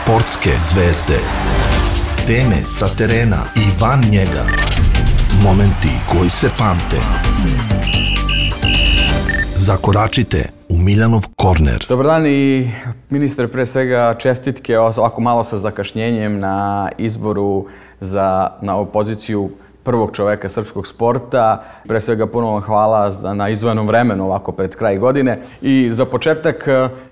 Sportske zvezde. Teme sa terena i van njega. Momenti koji se pamte. Zakoračite u Miljanov korner. Dobar dan i ministre, pre svega čestitke ovako malo sa zakašnjenjem na izboru na ovu poziciju prvog čoveka srpskog sporta. Pre svega puno vam hvala na izdvojenom vremenu ovako pred kraj godine. I za početak,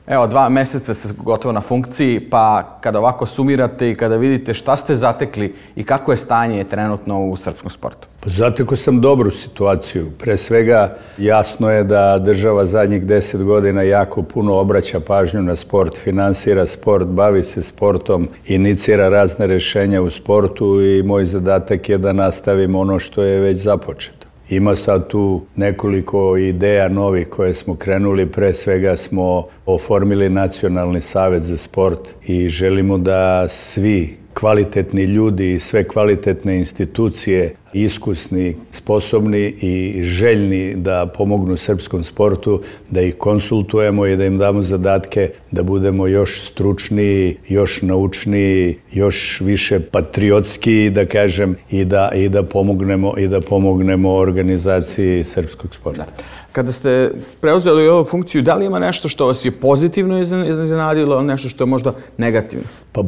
evo 2 meseca ste gotovo na funkciji, pa kada ovako sumirate i kada vidite šta ste zatekli i kako je stanje trenutno u srpskom sportu? Zatekao sam dobru situaciju. Pre svega jasno je da država zadnjih 10 godina jako puno obraća pažnju na sport, finansira sport, bavi se sportom, inicira razne rješenja u sportu i moj zadatak je da nastavim ono što je već započeto. Ima sad tu nekoliko ideja novih koje smo krenuli. Pre svega smo oformili Nacionalni savet za sport i želimo da svi kvalitetni ljudi i sve kvalitetne institucije, iskusni, sposobni i željni da pomognu srpskom sportu, da ih konsultujemo i da im damo zadatke da budemo još stručniji, još naučniji, još više patriotski, da kažem, i da pomognemo organizaciji srpskog sporta. Kada ste preuzeli ovu funkciju, da li ima nešto što vas je pozitivno iznenadilo, nešto što je možda negativno? Pa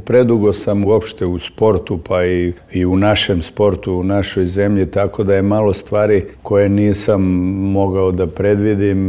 predugo sam uopšte u sportu, pa i u našem sportu, u našoj zemlji, tako da je malo stvari koje nisam mogao da predvidim.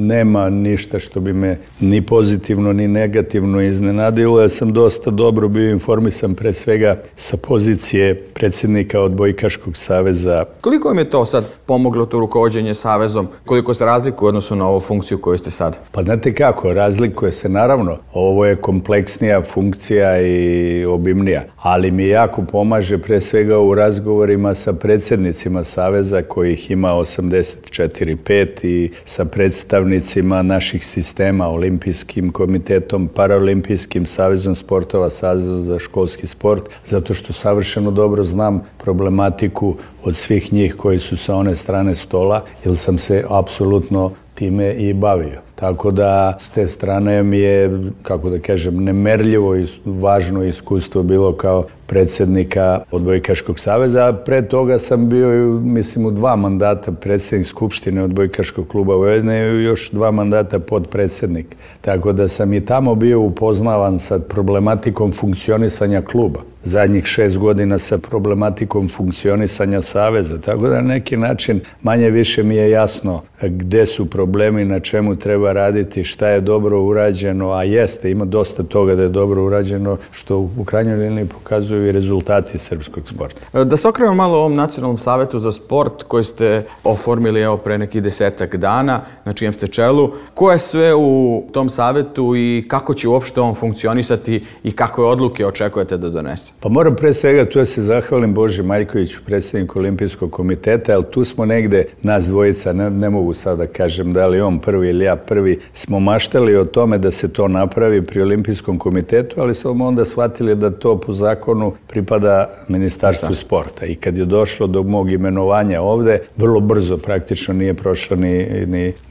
Nema ništa što bi me ni pozitivno ni negativno iznenadilo. Ja sam dosta dobro bio informisan pre svega sa pozicije predsjednika Odbojkaškog saveza. Koliko vam je to sad pomoglo to rukovođenje savezom? Koliko se razlikuje u odnosu na ovu funkciju koju ste sad? Pa znate kako, razlikuje se naravno. Ovo je kompleksnija funkcija i obimnija, ali mi jako pomaže pre svega u razgovorima sa predsjednicima saveza kojih ima 84-5 i sa predstavnicima naših sistema, Olimpijskim komitetom, Paraolimpijskim savezom sportova, savezom za školski sport, zato što savršeno dobro znam problematiku od svih njih koji su sa one strane stola, jer sam se apsolutno time i bavio. Tako da s te strane mi je, kako da kažem, nemerljivo i važno iskustvo bilo kao predsjednika Odbojkaškog saveza, a pre toga sam bio, mislim, u 2 mandata predsjednik Skupštine Odbojkaškog kluba Vojvodine i još 2 mandata podpredsjednik. Tako da sam i tamo bio upoznavan sa problematikom funkcionisanja kluba. Zadnjih 6 godina sa problematikom funkcionisanja saveza. Tako da na neki način manje više mi je jasno gde su problemi, na čemu treba raditi, šta je dobro urađeno, a jeste, ima dosta toga da je dobro urađeno, što u krajnjoj liniji pokazuju i rezultati srpskog sporta. Da se okrenemo malo ovom Nacionalnom savetu za sport koji ste oformili pre nekih 10 dana, na čijem ste čelu. Ko je sve u tom savetu i kako će uopšte on funkcionisati i kakve odluke očekujete da donese? Pa moram pre svega tu da se zahvalim Boži Maljkoviću, predsjedniku Olimpijskog komiteta, ali tu smo negde, nas dvojica, ne mogu sad da kažem da li on prvi ili ja prvi, smo maštali o tome da se to napravi pri Olimpijskom komitetu, ali smo onda shvatili da to po zakonu pripada Ministarstvu sporta. I kad je došlo do mog imenovanja ovde, vrlo brzo, praktično nije prošlo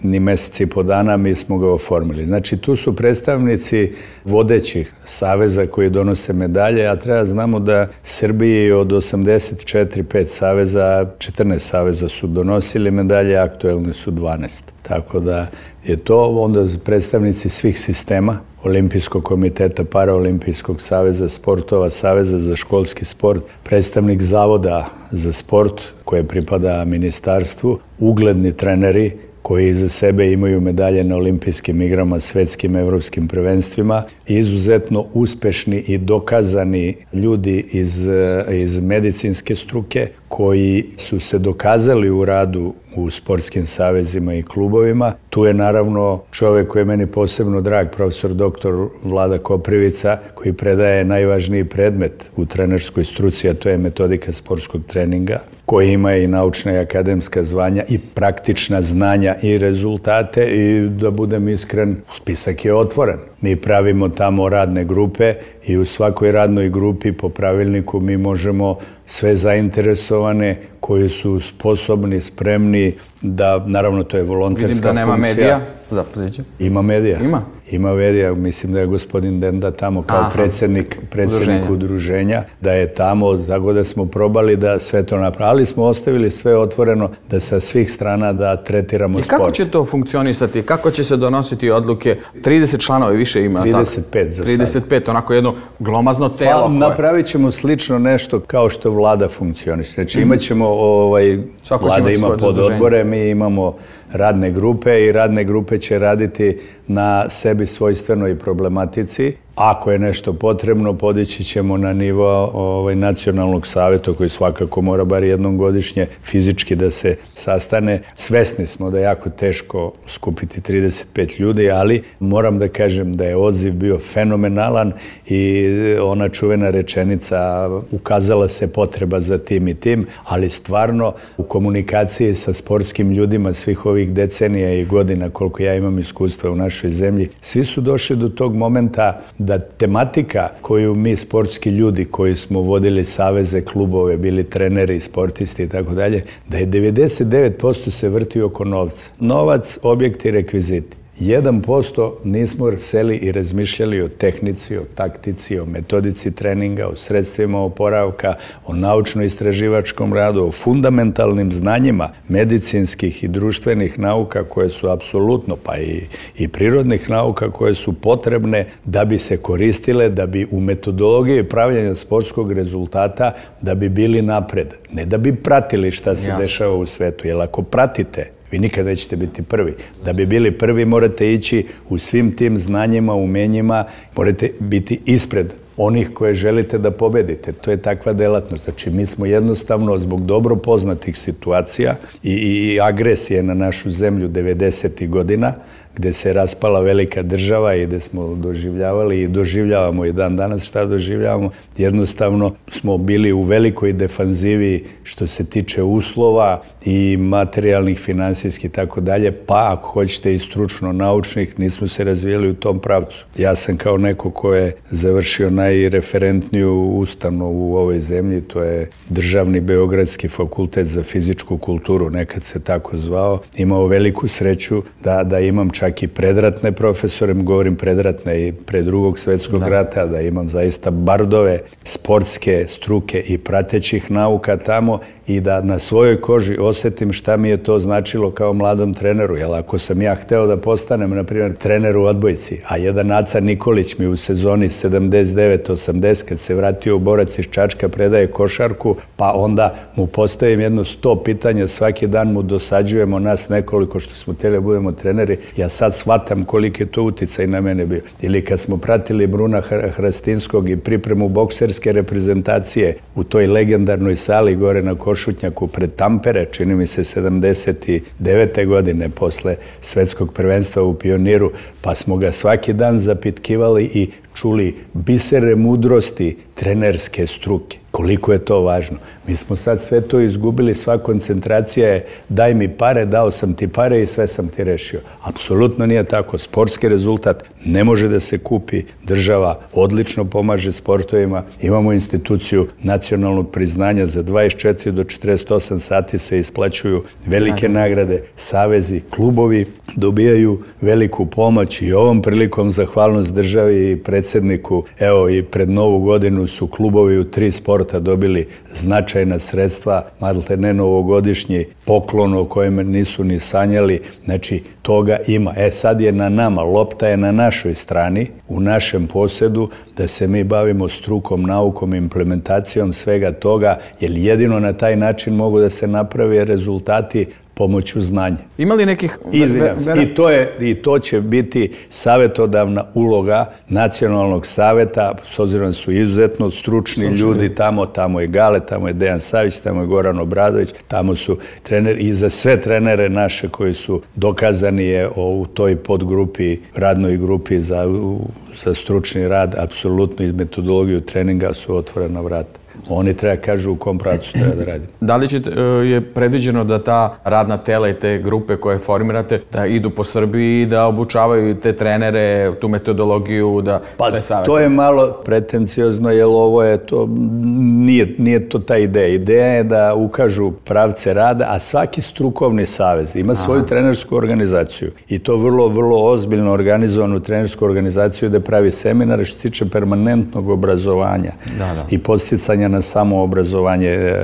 ni meseci i po dana, mi smo ga oformili. Znači, tu su predstavnici vodećih saveza koji donose medalje, a treba znamo da Srbiji od 84-5 saveza, 14 saveza su donosili medalje, aktuelni su 12. Tako da je to onda predstavnici svih sistema, Olimpijskog komiteta, Paraolimpijskog saveza sportova, Saveza za školski sport, predstavnik Zavoda za sport koje pripada ministarstvu, ugledni treneri koji iza sebe imaju medalje na olimpijskim igrama, svetskim, evropskim prvenstvima, izuzetno uspešni i dokazani ljudi iz medicinske struke koji su se dokazali u radu u sportskim savezima i klubovima. Tu je naravno čovjek koji je meni posebno drag, profesor dr. Vlada Koprivica, koji predaje najvažniji predmet u trenerskoj struci, a to je metodika sportskog treninga, koji ima i naučna i akademska zvanja i praktična znanja i rezultate i da budem iskren, spisak je otvoren. Mi pravimo tamo radne grupe i u svakoj radnoj grupi po pravilniku mi možemo sve zainteresovane, koji su sposobni, spremni da, naravno to je volonterska funkcija. Vidim da nema medija. Zapoziću. Ima medija. Ima? Ima medija, mislim da je gospodin Denda tamo kao predsjednik udruženja, da je tamo, tako da smo probali da sve to napravili, ali smo ostavili sve otvoreno da sa svih strana da tretiramo sport. I kako će to funkcionisati? Kako će se donositi odluke? 30 članova više ima. 35 za sad. 35, onako jedno glomazno telo. Pa napravit ćemo slično nešto kao što vlada funkcioniše. Znači imat ćemo, vlada ima pododbore, mi imamo radne grupe i radne grupe će raditi na sebi svojstvenoj problematici. Ako je nešto potrebno, podići ćemo na nivo nacionalnog savjeta koji svakako mora bar jednom godišnje fizički da se sastane. Svesni smo da je jako teško skupiti 35 ljudi, ali moram da kažem da je odziv bio fenomenalan i ona čuvena rečenica ukazala se potreba za tim i tim, ali stvarno u komunikaciji sa sportskim ljudima svih ovih decenija i godina koliko ja imam iskustva u našoj zemlji, svi su došli do tog momenta da tematika koju mi sportski ljudi koji smo vodili saveze, klubove, bili treneri, sportisti i tako dalje, da je 99% se vrti oko novca. Novac, objekti, rekviziti. 1% nismo seli i razmišljali o tehnici, o taktici, o metodici treninga, o sredstvima oporavka, o naučno-istraživačkom radu, o fundamentalnim znanjima medicinskih i društvenih nauka koje su apsolutno, pa i prirodnih nauka koje su potrebne da bi se koristile, da bi u metodologiji pravljenja sportskog rezultata, da bi bili napred. Ne da bi pratili šta se dešava u svetu, jer ako pratite, vi nikad nećete biti prvi. Da bi bili prvi morate ići u svim tim znanjima, umenjima, morate biti ispred onih koje želite da pobedite. To je takva delatnost. Znači, mi smo jednostavno zbog dobro poznatih situacija i agresije na našu zemlju 90. godina, gde se raspala velika država i gde smo doživljavali i doživljavamo i dan danas šta doživljavamo. Jednostavno smo bili u velikoj defanzivi što se tiče uslova i materijalnih, finansijskih i tako dalje, pa ako hoćete i stručno naučnih, nismo se razvijeli u tom pravcu. Ja sam kao neko ko je završio najreferentniju ustanovu u ovoj zemlji, to je Državni Beogradski fakultet za fizičku kulturu, nekad se tako zvao, imao veliku sreću da imam čak i predratne profesore, govorim predratne i pre Drugog svjetskog rata, da imam zaista bardove sportske struke i pratećih nauka tamo i da na svojoj koži osjetim šta mi je to značilo kao mladom treneru. Jer ako sam ja hteo da postanem, na primjer, trener u odbojci, a jedan Aca Nikolić mi u sezoni 79-80, kad se vratio u Borac iz Čačka, predaje košarku, pa onda mu postavim jedno 100 pitanja, svaki dan mu dosađujemo nas nekoliko što smo htjeli da budemo treneri, ja sad shvatam koliki je to uticaj na mene bio. Ili kad smo pratili Bruna Hrastinskog i pripremu bokserske reprezentacije u toj legendarnoj sali gore na Košutnjaku pred Tampere, čini mi se 79. godine posle svetskog prvenstva u Pioniru, pa smo ga svaki dan zapitkivali i čuli bisere mudrosti trenerske struke. Koliko je to važno. Mi smo sad sve to izgubili, sva koncentracija je daj mi pare, dao sam ti pare i sve sam ti rešio. Apsolutno nije tako. Sportski rezultat ne može da se kupi. Država odlično pomaže sportovima. Imamo instituciju nacionalnog priznanja za 24 do 48 sati se isplaćuju velike nagrade. Savezi, klubovi dobijaju veliku pomoć i ovom prilikom zahvalnost državi i predsjedniku. Evo i pred Novu godinu su klubovi u 3 sporta dobili značajna sredstva, malte ne novogodišnji poklon o kojem nisu ni sanjali. Znači, toga ima. Sad je na nama, lopta je na našoj strani, u našem posjedu, da se mi bavimo strukom, naukom, implementacijom svega toga, jer jedino na taj način mogu da se naprave rezultati pomoću znanja. Ima li nekih... I to će biti savjetodavna uloga Nacionalnog savjeta, s obzirom da su izuzetno stručni ljudi tamo je Gale, tamo je Dejan Savić, tamo je Goran Obradović, tamo su treneri i za sve trenere naše koji su dokazani je u toj podgrupi, radnoj grupi za stručni rad, apsolutno iz metodologiju treninga su otvorena vrata. Oni treba kažu u kom pravcu treba da radimo. Da li je predviđeno da ta radna tela i te grupe koje formirate da idu po Srbiji i da obučavaju te trenere, tu metodologiju, da sve savete? To je malo pretenciozno, jer ovo je to, nije to ta ideja. Ideja je da ukažu pravce rada, a svaki strukovni savez ima svoju trenersku organizaciju i to vrlo, vrlo ozbiljno organizovanu trenersku organizaciju da pravi seminare što se tiče permanentnog obrazovanja i podsticanja na samoobrazovanje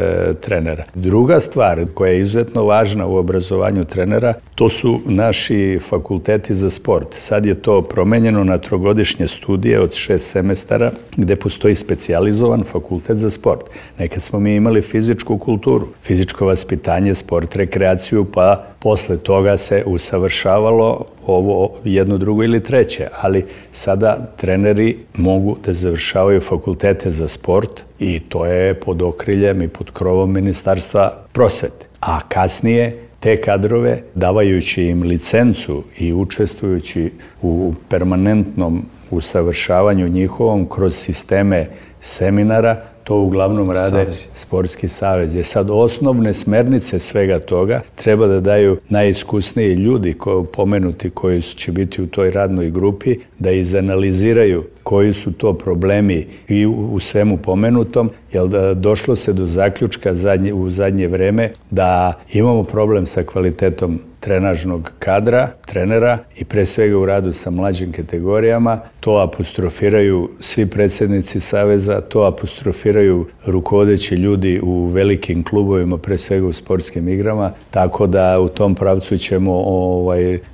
trenera. Druga stvar koja je izuzetno važna u obrazovanju trenera, to su naši fakulteti za sport. Sad je to promenjeno na 3-godišnje studije od 6 semestara gde postoji specijalizovan fakultet za sport. Nekad smo mi imali fizičku kulturu, fizičko vaspitanje, sport, rekreaciju, pa posle toga se usavršavalo ovo jedno, drugo ili treće, ali sada treneri mogu da završavaju fakultete za sport i to je pod okriljem i pod krovom Ministarstva prosvete. A kasnije te kadrove, davajući im licencu i učestvujući u permanentnom usavršavanju njihovom kroz sisteme seminara, to uglavnom rade sportski savez. Je sad osnovne smernice svega toga treba da daju najiskusniji ljudi pomenuti koji će biti u toj radnoj grupi, da izanaliziraju koji su to problemi i u svemu pomenutom, jer došlo se do zaključka u zadnje vreme da imamo problem sa kvalitetom trenažnog kadra, trenera i pre svega u radu sa mlađim kategorijama. To apostrofiraju svi predsjednici saveza, to apostrofiraju rukovodeći ljudi u velikim klubovima, pre svega u sportskim igrama, tako da u tom pravcu ćemo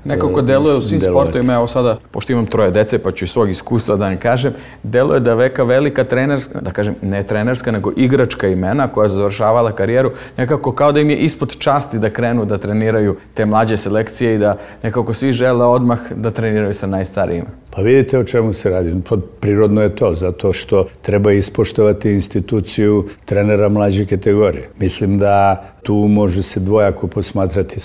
nekako deluje u svim sportovima. Evo sada, pošto imam 3 dece, pa ću iz svog iskustva da vam kažem, deluje da velika trenerska, da kažem ne trenerska, nego igračka imena koja je završavala karijeru, nekako kao da im je ispod časti da krenu da treniraju te mlađe selekcije i da nekako svi žele odmah da treniraju sa najstarijima. Pa vidite o čemu se radi. Prirodno je to, zato što treba ispoštovati instituciju trenera mlađe kategorije. Mislim da tu može se dvojako posmatrati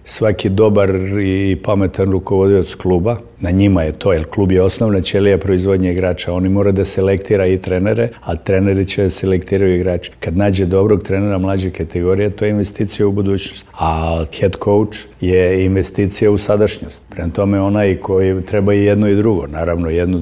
svaki dobar i pametan rukovodioc kluba. Na njima je to, jer klub je osnovna ćelija proizvodnje igrača. Oni mora da selektira i trenere, a treneri će da selektiraju igrače. Kad nađe dobrog trenera mlađe kategorije, to je investicija u budućnost. A head coach je investicija u sadašnjost. Prema tome onaj koji treba i jedno i drugo. Naravno, jedno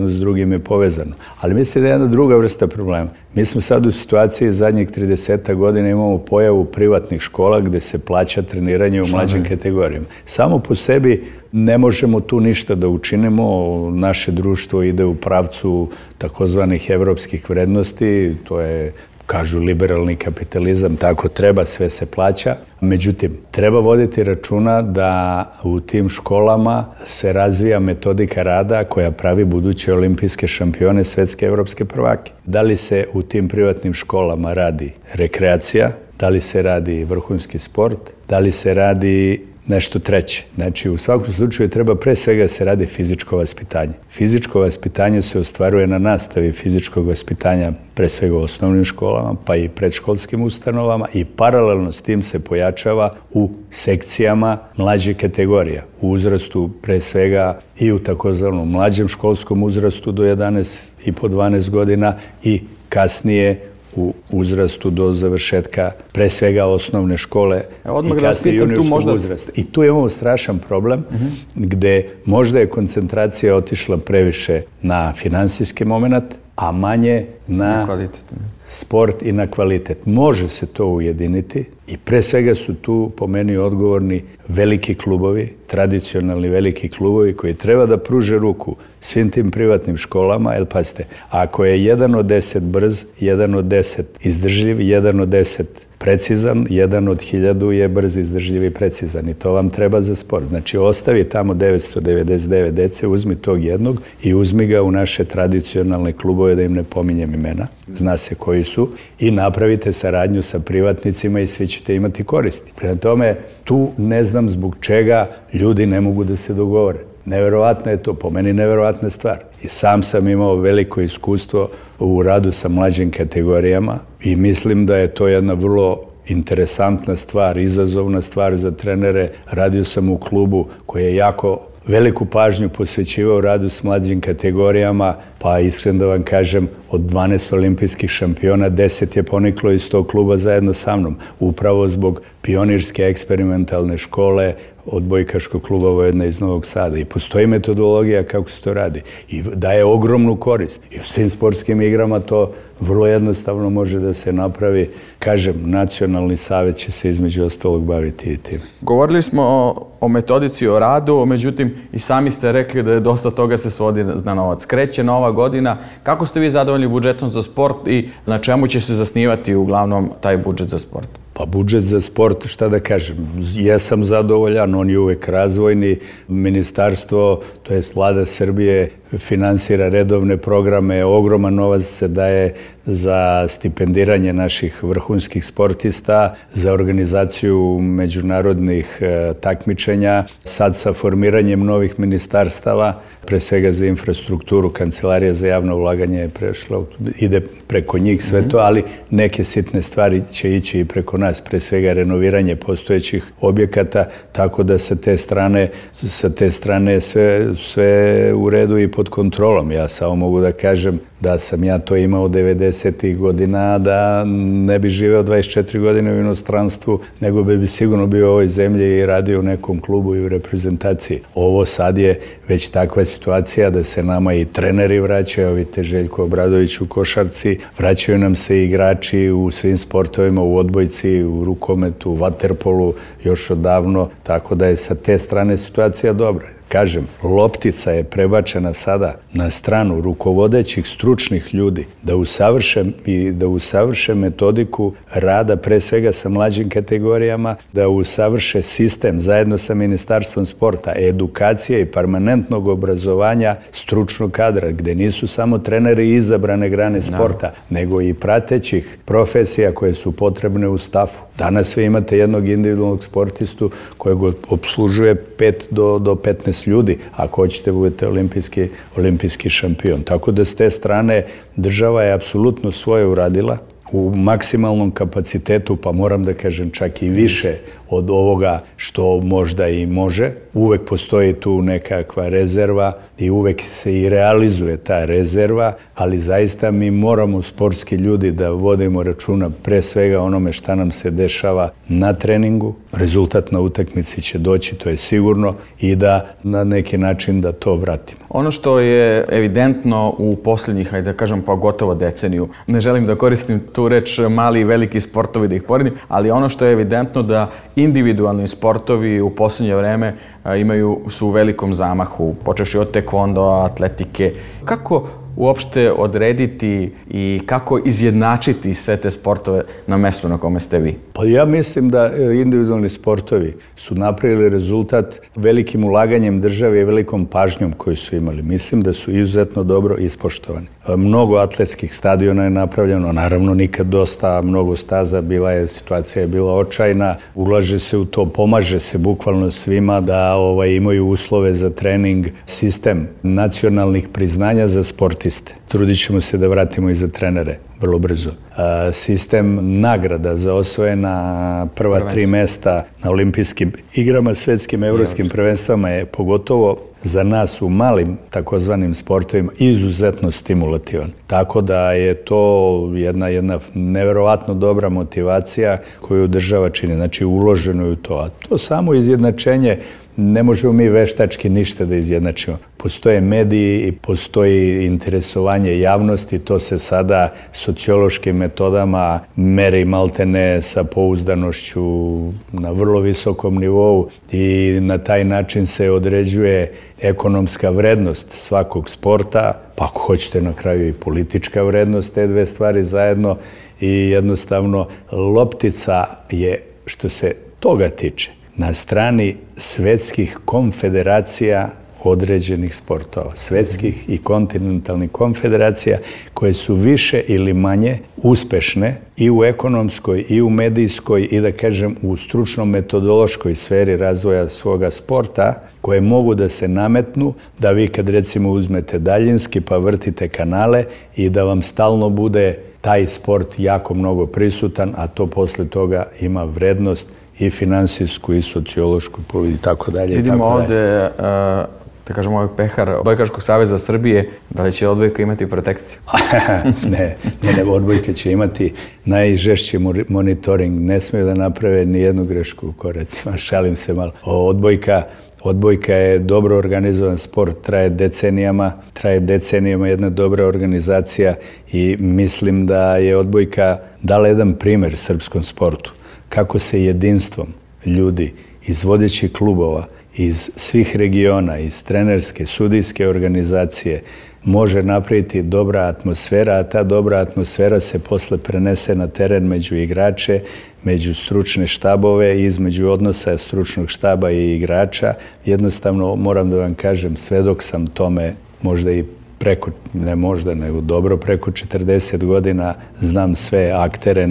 s drugim je povezano. Ali mislim da je jedna druga vrsta problema. Mi smo sad u situaciji zadnjih 30 godina imamo pojavu privatnih škola gde se plaća treniranje u mlađim kategorijama. Samo po sebi ne možemo tu ništa da učinimo. Naše društvo ide u pravcu takozvanih evropskih vrednosti, to je, kažu, liberalni kapitalizam, tako treba, sve se plaća. Međutim, treba voditi računa da u tim školama se razvija metodika rada koja pravi buduće olimpijske šampione, svetske, evropske prvake. Da li se u tim privatnim školama radi rekreacija, da li se radi vrhunski sport, da li se radi nešto treće. Znači, u svakom slučaju treba pre svega se radi fizičko vaspitanje. Fizičko vaspitanje se ostvaruje na nastavi fizičkog vaspitanja pre svega u osnovnim školama, pa i predškolskim ustanovama i paralelno s tim se pojačava u sekcijama mlađe kategorija. U uzrastu pre svega i u takozvanom mlađem školskom uzrastu do 11,5-12 godina i kasnije u uzrastu do završetka pre svega osnovne škole i kasnije juniorskog uzrasta. I tu imamo strašan problem gde možda je koncentracija otišla previše na finansijski moment, a manje na sport i na kvalitet. Može se to ujediniti i pre svega su tu po meni odgovorni veliki klubovi, tradicionalni veliki klubovi koji treba da pruže ruku svim tim privatnim školama, jer pazite, ako je 1 od 10 brz, 1 od 10 izdržljiv, 1 od 10 precizan, 1 od 1000 je brz, izdržljiv i precizan i to vam treba za sport. Znači, ostavi tamo 999 dece, uzmi tog jednog i uzmi ga u naše tradicionalne klubove, da im ne pominjem imena, zna se koji su, i napravite saradnju sa privatnicima i svi ćete imati koristi. Prema tome, tu ne znam zbog čega ljudi ne mogu da se dogovore. Neverovatno je to, po meni neverovatna stvar. I sam sam imao veliko iskustvo u radu sa mlađim kategorijama i mislim da je to jedna vrlo interesantna stvar, izazovna stvar za trenere. Radio sam u klubu koji je jako veliku pažnju posvećivao radu s mlađim kategorijama, pa iskreno da vam kažem, od 12 olimpijskih šampiona, 10 je poniklo iz tog kluba zajedno sa mnom, upravo zbog pionirske eksperimentalne škole odbojkaškog kluba Vojvodina iz Novog Sada. I postoji metodologija kako se to radi. I daje ogromnu korist. I u svim sportskim igrama to vrlo jednostavno može da se napravi. Kažem, Nacionalni savjet će se između ostalog baviti i tim. Govorili smo o metodici, o radu, međutim i sami ste rekli da je dosta toga se svodi na novac. Kreće nova godina. Kako ste vi zadovoljni budžetom za sport i na čemu će se zasnivati uglavnom taj budžet za sport? Pa budžet za sport, šta da kažem, jesam zadovoljan, on je uvek razvojni. Ministarstvo, to jest Vlada Srbije, finansira redovne programe, ogroman novac se daje za stipendiranje naših vrhunskih sportista, za organizaciju međunarodnih takmičenja, sad sa formiranjem novih ministarstava, pre svega za infrastrukturu, Kancelarija za javno ulaganje je prešla, ide preko njih sve to, ali neke sitne stvari će ići i preko nas, pre svega renoviranje postojećih objekata, tako da sa te strane sve u redu i pod kontrolom. Ja samo mogu da kažem da sam ja to imao 90. godina, da ne bi živeo 24 godine u inostranstvu, nego bi sigurno bio u ovoj zemlji i radio u nekom klubu i u reprezentaciji. Ovo sad je već takva situacija da se nama i treneri vraćaju, vidite Željko Obradović u košarci, vraćaju nam se igrači u svim sportovima, u odbojci, u rukometu, u vaterpolu, još odavno, tako da je sa te strane situacija dobra. Kažem, loptica je prebačena sada na stranu rukovodećih stručnih ljudi da usavrše metodiku rada pre svega sa mlađim kategorijama, da usavrše sistem zajedno sa Ministarstvom sporta, edukacije i permanentnog obrazovanja stručnog kadra, gde nisu samo treneri izabrane grane sporta, nego i pratećih profesija koje su potrebne u stafu. Danas vi imate jednog individualnog sportistu kojeg obslužuje 5 do 15 ljudi, ako hoćete budete olimpijski šampion. Tako da s te strane država je apsolutno svoje uradila u maksimalnom kapacitetu, pa moram da kažem čak i više od ovoga što možda i može. Uvek postoji tu nekakva rezerva i uvek se i realizuje ta rezerva, ali zaista mi moramo sportski ljudi da vodimo računa pre svega onome šta nam se dešava na treningu. Rezultat na utakmici će doći, to je sigurno, i da na neki način da to vratimo. Ono što je evidentno u posljednjih, hajde da kažem, pa gotovo deceniju, ne želim da koristim tu reč mali i veliki sportovi da ih poredim, ali ono što je evidentno da individualni sportovi u posljednje vreme su u velikom zamahu, počevši od tekvondo, atletike. Kako uopšte odrediti i kako izjednačiti sve te sportove na mestu na kome ste vi? Pa ja mislim da individualni sportovi su napravili rezultat velikim ulaganjem države i velikom pažnjom koju su imali. Mislim da su izuzetno dobro ispoštovani. Mnogo atletskih stadiona je napravljeno, naravno nikad dosta, mnogo staza, situacija je bila očajna, ulaže se u to, pomaže se bukvalno svima da imaju uslove za trening, sistem nacionalnih priznanja za sportiste. Trudit ćemo se da vratimo i za trenere vrlo brzo. Sistem nagrada za osvojena prva 3 mesta na olimpijskim igrama, svetskim, evropskim prvenstvama je pogotovo za nas u malim takozvanim sportovima izuzetno stimulativan. Tako da je to jedna neverovatno dobra motivacija koju država čini, znači uloženo je u to. A to samo izjednačenje ne možemo mi veštački ništa da izjednačimo. Postoje mediji i postoji interesovanje javnosti, to se sada sociološkim metodama meri maltene sa pouzdanošću na vrlo visokom nivou i na taj način se određuje ekonomska vrednost svakog sporta, pa ako hoćete na kraju i politička vrednost, te dve stvari zajedno, i jednostavno loptica je, što se toga tiče, na strani svetskih konfederacija određenih sportova, svetskih i kontinentalnih konfederacija koje su više ili manje uspešne i u ekonomskoj i u medijskoj i da kažem u stručno-metodološkoj sferi razvoja svoga sporta, koje mogu da se nametnu, da vi kad recimo uzmete daljinski pa vrtite kanale i da vam stalno bude taj sport jako mnogo prisutan, a to posle toga ima vrednost i finansijsku i sociološku i tako dalje. Vidimo ovde da kažemo, ovaj pehar Odbojkaškog saveza Srbije, da li će odbojka imati protekciju? Ne, odbojka će imati najžešći monitoring. Ne smiju da naprave ni jednu grešku u koracima. Šalim se malo. Odbojka je dobro organizovan sport, traje decenijama jedna dobra organizacija i mislim da je odbojka dala jedan primer srpskom sportu. Kako se jedinstvom ljudi iz vodećih klubova, iz svih regiona, iz trenerske, sudijske organizacije može napraviti dobra atmosfera, a ta dobra atmosfera se posle prenese na teren među igrače, među stručne štabove i između odnosa stručnog štaba i igrača. Jednostavno, moram da vam kažem, svedok sam tome, možda i preko, ne možda, nego dobro preko 40 godina, znam sve aktere,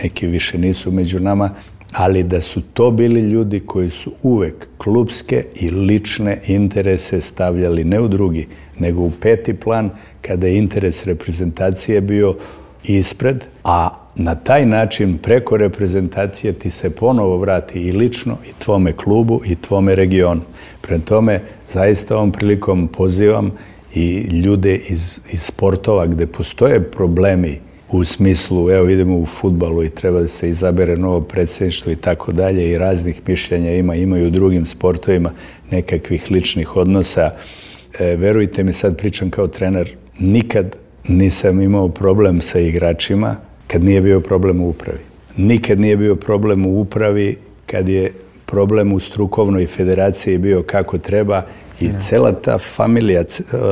neki više nisu među nama, ali da su to bili ljudi koji su uvek klupske i lične interese stavljali ne u drugi, nego u peti plan, kada je interes reprezentacije bio ispred, a na taj način preko reprezentacije ti se ponovo vrati i lično i tvome klubu i tvome regionu. Prema tome, zaista ovom prilikom pozivam i ljude iz sportova gde postoje problemi u smislu, evo vidimo u fudbalu i treba da se izabere novo predsjedništvo i tako dalje i raznih mišljenja ima i u drugim sportovima nekakvih ličnih odnosa. Verujte mi, sad pričam kao trener, nikad nisam imao problem sa igračima kad nije bio problem u upravi. Nikad nije bio problem u upravi kad je problem u strukovnoj federaciji bio kako treba i cela ta familija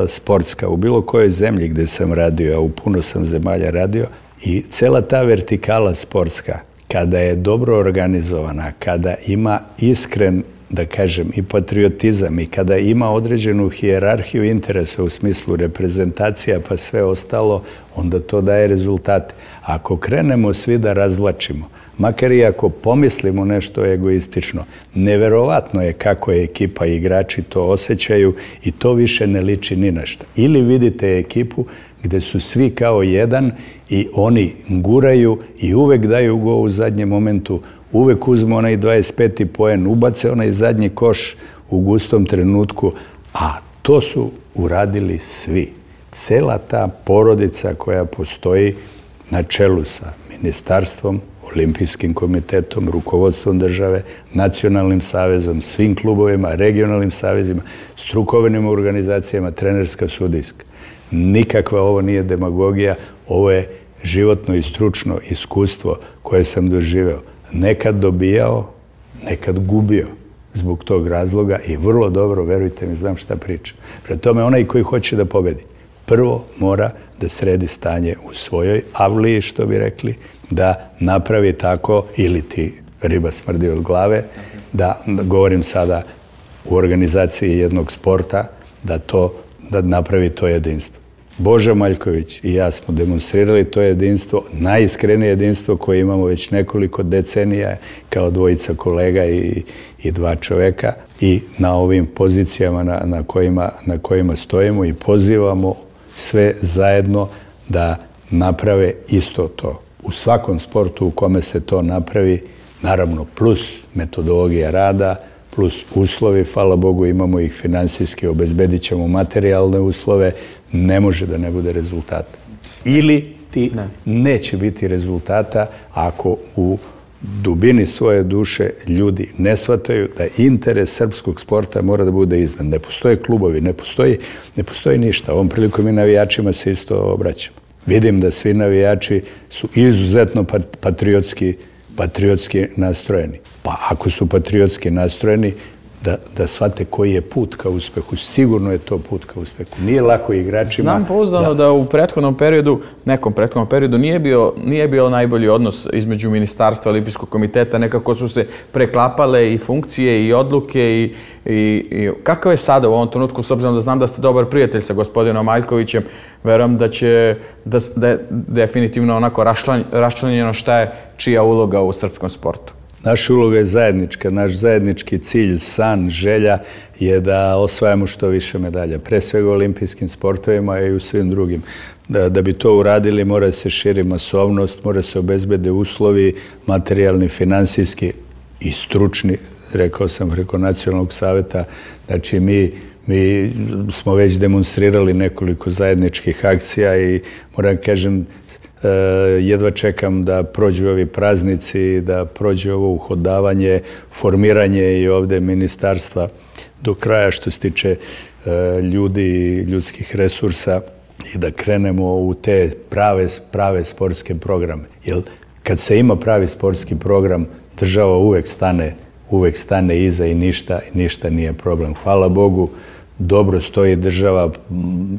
sportska u bilo kojoj zemlji gde sam radio, a u puno sam zemalja radio, i cela ta vertikala sportska, kada je dobro organizovana, kada ima iskren, da kažem, i patriotizam i kada ima određenu hijerarhiju interesa u smislu reprezentacija pa sve ostalo, onda to daje rezultate. Ako krenemo svi da razvlačimo, makar i ako pomislimo nešto egoistično, neverovatno je kako je ekipa i igrači to osjećaju i to više ne liči ni na šta. Ili vidite ekipu gde su svi kao jedan i oni guraju i uvek daju go u zadnjem momentu, uvek uzmu onaj 25. poen, ubace onaj zadnji koš u gustom trenutku, a to su uradili svi. Cela ta porodica koja postoji na čelu sa ministarstvom, Olimpijskim komitetom, rukovodstvom države, nacionalnim savezom, svim klubovima, regionalnim savezima, strukovnim organizacijama, trenerska, sudijska. Nikakva ovo nije demagogija, ovo je životno i stručno iskustvo koje sam doživeo. Nekad dobijao, nekad gubio zbog tog razloga i vrlo dobro, verujte mi, znam šta pričam. Prema tome, onaj koji hoće da pobedi, prvo mora da sredi stanje u svojoj avliji, što bi rekli, da napravi tako, ili ti riba smrdi od glave, da govorim sada u organizaciji jednog sporta, da napravi to jedinstvo. Boža Maljković i ja smo demonstrirali to jedinstvo, najiskrenije jedinstvo koje imamo već nekoliko decenija kao dvojica kolega i dva čoveka i na ovim pozicijama na kojima stojimo i pozivamo sve zajedno da naprave isto to. U svakom sportu u kome se to napravi, naravno plus metodologija rada, plus uslovi, hvala Bogu imamo ih finansijski, obezbedit ćemo materijalne uslove, ne može da ne bude rezultata. Ili ti neće biti rezultata ako u dubini svoje duše ljudi ne shvataju da interes srpskog sporta mora da bude iznad. Ne postoje klubovi, ne postoji ništa. Ovom prilikom i navijačima se isto obraćamo. Vidim da svi navijači su izuzetno patriotski nastrojeni. Pa ako su patriotski nastrojeni, da shvate koji je put ka uspehu. Sigurno je to put ka uspehu. Nije lako igračima. Znam pouzdano da u nekom prethodnom periodu nije bio najbolji odnos između Ministarstva Olimpijskog komiteta. Nekako su se preklapale i funkcije i odluke i kakav je sada u ovom trenutku, s obzirom da znam da ste dobar prijatelj sa gospodinom Maljkovićem, verujem da je definitivno onako raščlanjeno šta je čija uloga u srpskom sportu. Naša uloga je zajednička, naš zajednički cilj, san, želja je da osvajamo što više medalja. Pre svega u olimpijskim sportovima i u svim drugim. Da bi to uradili mora se širi masovnost, mora se obezbede uslovi materijalni, finansijski i stručni rekao sam preko Nacionalnog saveta, znači mi smo već demonstrirali nekoliko zajedničkih akcija i moram kažem, jedva čekam da prođu ovi praznici, da prođe ovo uhodavanje, formiranje i ovde ministarstva do kraja što se tiče ljudi i ljudskih resursa i da krenemo u te prave sportske programe. Jer kad se ima pravi sportski program, država uvek stane iza i ništa nije problem. Hvala Bogu, dobro stoji država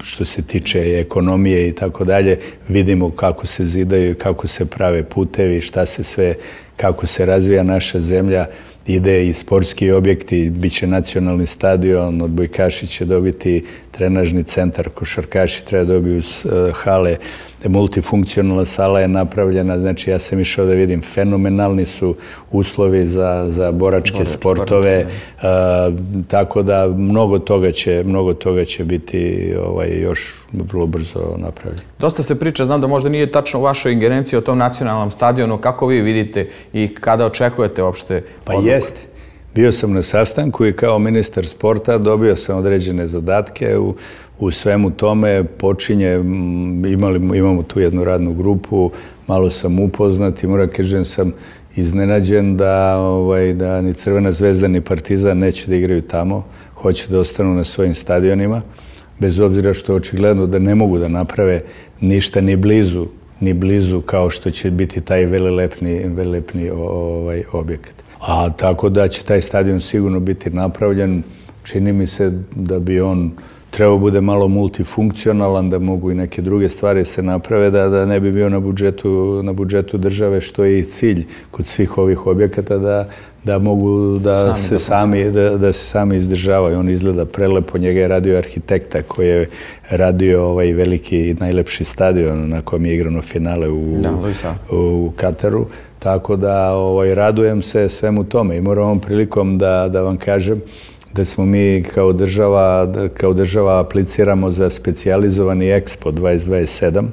što se tiče ekonomije i tako dalje. Vidimo kako se zidaju, kako se prave putevi, šta se sve, kako se razvija naša zemlja. Ide i sportski objekti, bit će nacionalni stadion, odbojkaši će dobiti trenažni centar, košarkaši treba dobiju hale, multifunkcionalna sala je napravljena, znači ja sam išao da vidim, fenomenalni su uslovi za boračke sportove, tako da mnogo toga će biti još vrlo brzo napravljeno. Dosta se priča, znam da možda nije tačno u vašoj ingerenciji o tom nacionalnom stadionu, kako vi vidite i kada očekujete uopšte odluku? Pa jeste. Bio sam na sastanku i kao ministar sporta dobio sam određene zadatke u svemu tome. Imamo tu jednu radnu grupu, malo sam upoznat i moram kažem sam iznenađen da ni Crvena zvezda ni Partizan neće da igraju tamo, hoće da ostanu na svojim stadionima, bez obzira što je očigledno da ne mogu da naprave ništa ni blizu kao što će biti taj velelepni objekat. A tako da će taj stadion sigurno biti napravljen. Čini mi se da bi on trebao bude malo multifunkcionalan, da mogu i neke druge stvari se naprave, da ne bi bio na budžetu države, što je i cilj kod svih ovih objekata, da mogu da se sami izdržavaju. On izgleda prelepo, njega je radio arhitekta koji je radio ovaj veliki i najlepši stadion na kojem je igrano finale u Kataru. Tako da radujem se svemu tome i moram ovom prilikom da vam kažem da smo mi kao država apliciramo za specijalizovani Expo 2027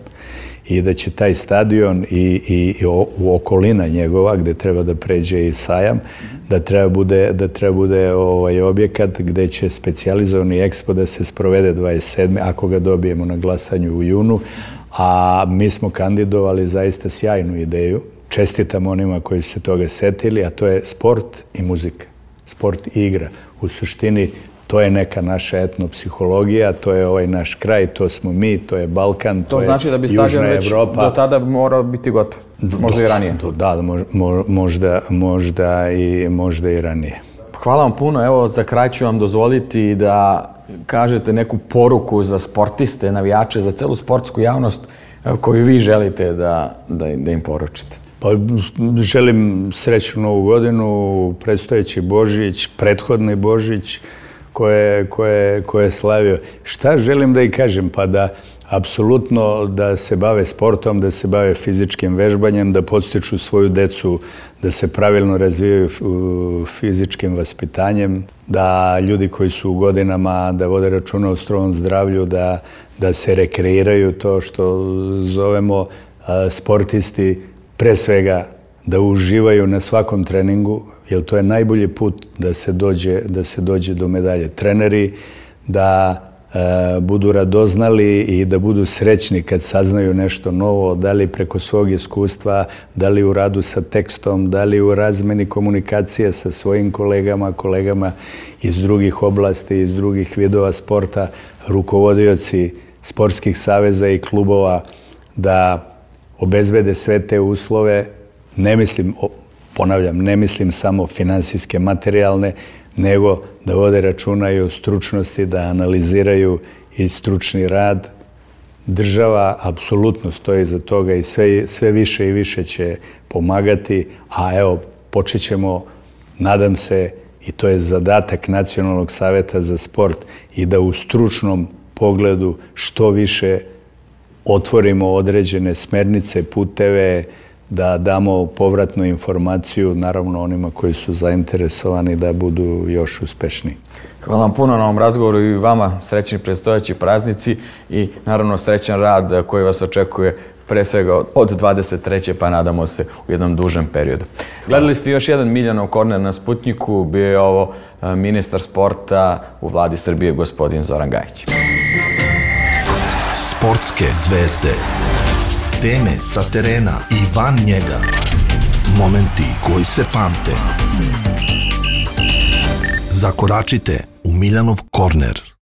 i da će taj stadion i okolina njegova gde treba da pređe i sajam, da treba bude objekat gde će specijalizovani Expo da se sprovede 27. ako ga dobijemo na glasanju u junu, a mi smo kandidovali zaista sjajnu ideju. Čestitam onima koji su se toga setili, a to je sport i muzika, sport i igra. U suštini, to je neka naša etnopsihologija, to je naš kraj, to smo mi, to je Balkan, to je Južna Evropa. To znači da bi stadion već do tada morao biti gotov, možda i ranije. Da, možda i ranije. Hvala vam puno, evo za kraj ću vam dozvoliti da kažete neku poruku za sportiste, navijače, za celu sportsku javnost koju vi želite da im poručite. Pa želim srećnu Novu godinu, predstojeći Božić, prethodni Božić koje je slavio. Šta želim da ih kažem? Pa da apsolutno da se bave sportom, da se bave fizičkim vežbanjem, da podstiču svoju decu, da se pravilno razvijaju fizičkim vaspitanjem, da ljudi koji su u godinama da vode računa o strovom zdravlju, da se rekreiraju, to što zovemo sportisti, pre svega da uživaju na svakom treningu, jer to je najbolji put da se dođe do medalje. Treneri da budu radoznali i da budu srećni kad saznaju nešto novo, da li preko svog iskustva, da li u radu sa tekstom, da li u razmeni komunikacije sa svojim kolegama iz drugih oblasti, iz drugih vidova sporta, rukovodioci sportskih saveza i klubova, da obezbede sve te uslove. Ne mislim samo finansijske, materijalne, nego da vode računa i o stručnosti, da analiziraju i stručni rad. Država apsolutno stoji za toga i sve više i više će pomagati, a evo, počet ćemo, nadam se, i to je zadatak Nacionalnog saveta za sport, i da u stručnom pogledu što više otvorimo određene smernice, puteve, da damo povratnu informaciju, naravno onima koji su zainteresovani da budu još uspešniji. Hvala vam puno na ovom razgovoru i vama srećni predstojeći praznici i naravno srećan rad koji vas očekuje pre svega od 23. pa nadamo se u jednom dužem periodu. Gledali ste još jedan Miljanov korner na Sputnjiku, bio je ovo ministar sporta u vladi Srbije, gospodin Zoran Gajić. Sportske zvezde, teme sa terena i van njega, momenti koji se pamte. Zakoračite u Miljanov korner.